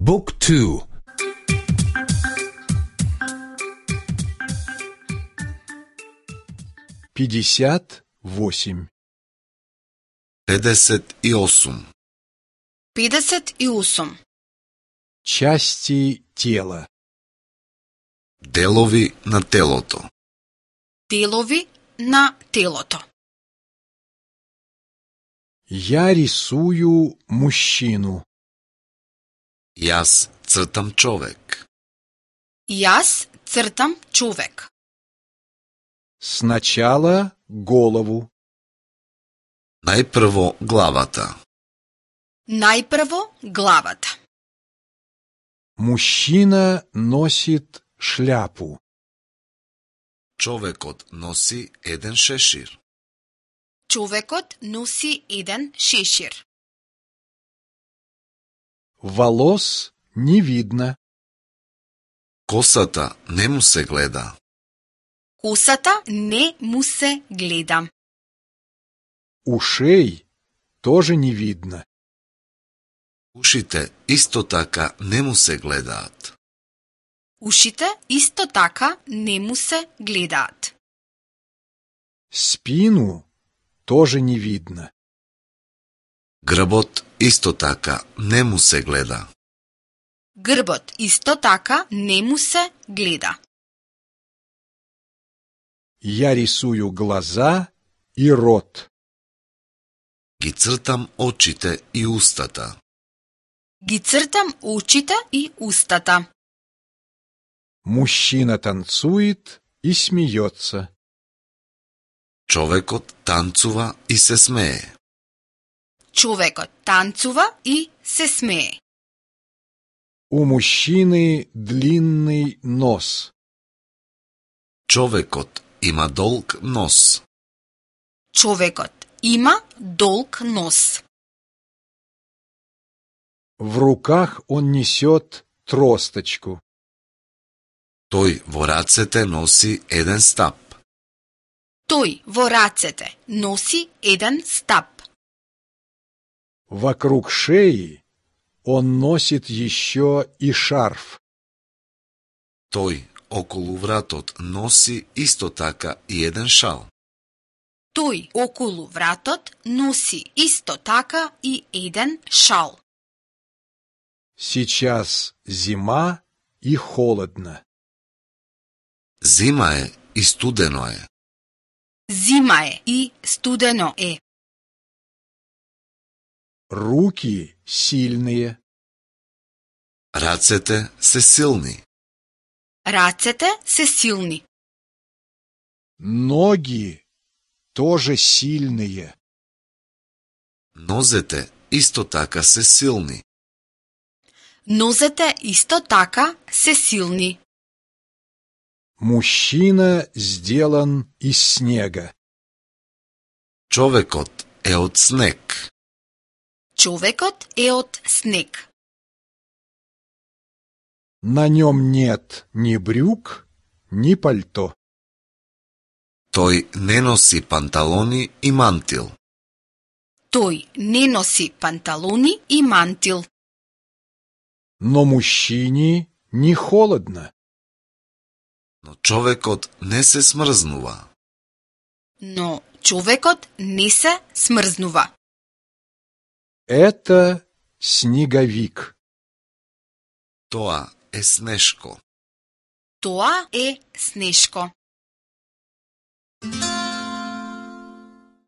Book 2. 58. 58. 58. Части тела. Делови на телото. Делови на телото. Я рисую мужчину. Јас цртам човек. Јас цртам човек. Сначала голову. Најпрво главата. Најпрво главата. Мужчина носит шляпу. Човекот носи еден шешир. Човекот носи еден шешир. Волос не видно. Косата не му се гледа. Косата не му се гледа. Ушей тоже не видно. Ушите исто така не му се гледаат. Ушите исто така не му се гледаат. Спину тоже не видно. Грбот исто така не му се гледа. Грбот исто така не му се гледа. Я рисую глаза и рот. Ги цртам очите и устата. Ги цртам очите и устата. Мужчина танцует и смеется. Човекот танцува и се смее. Човекот танцува и се смее. У мужчины длинный нос. Човекот има долг нос. Човекот има долг нос. В руках он несет тросточку. Тој во рацете носи еден стап. Тој во рацете носи еден стап. Вокруг шеи он носит еще и шарф. Тој околу вратот носи исто така и еден шал. Тој околу вратот носи исто така и еден шал. Сейчас зима и холодно. Зима е и студено е. Зима е и студено е. Руки сильные. Рацете се силни. Рацете се силни. Ноги тоже сильные. Нозете исто така се силни. Нозете исто така се силни. Мужчина сделан из снега. Човекот е од снег. Човекот е од снег. На нем нет ни брюк, ни пальто. Тој не носи панталони и мантил. Тој не носи панталони и мантил. Но мужчине не холодно. Но човекот не се смрзнува. Но човекот не се смрзнува. Это снеговик. Тоа е снешко. Тоа е снешко.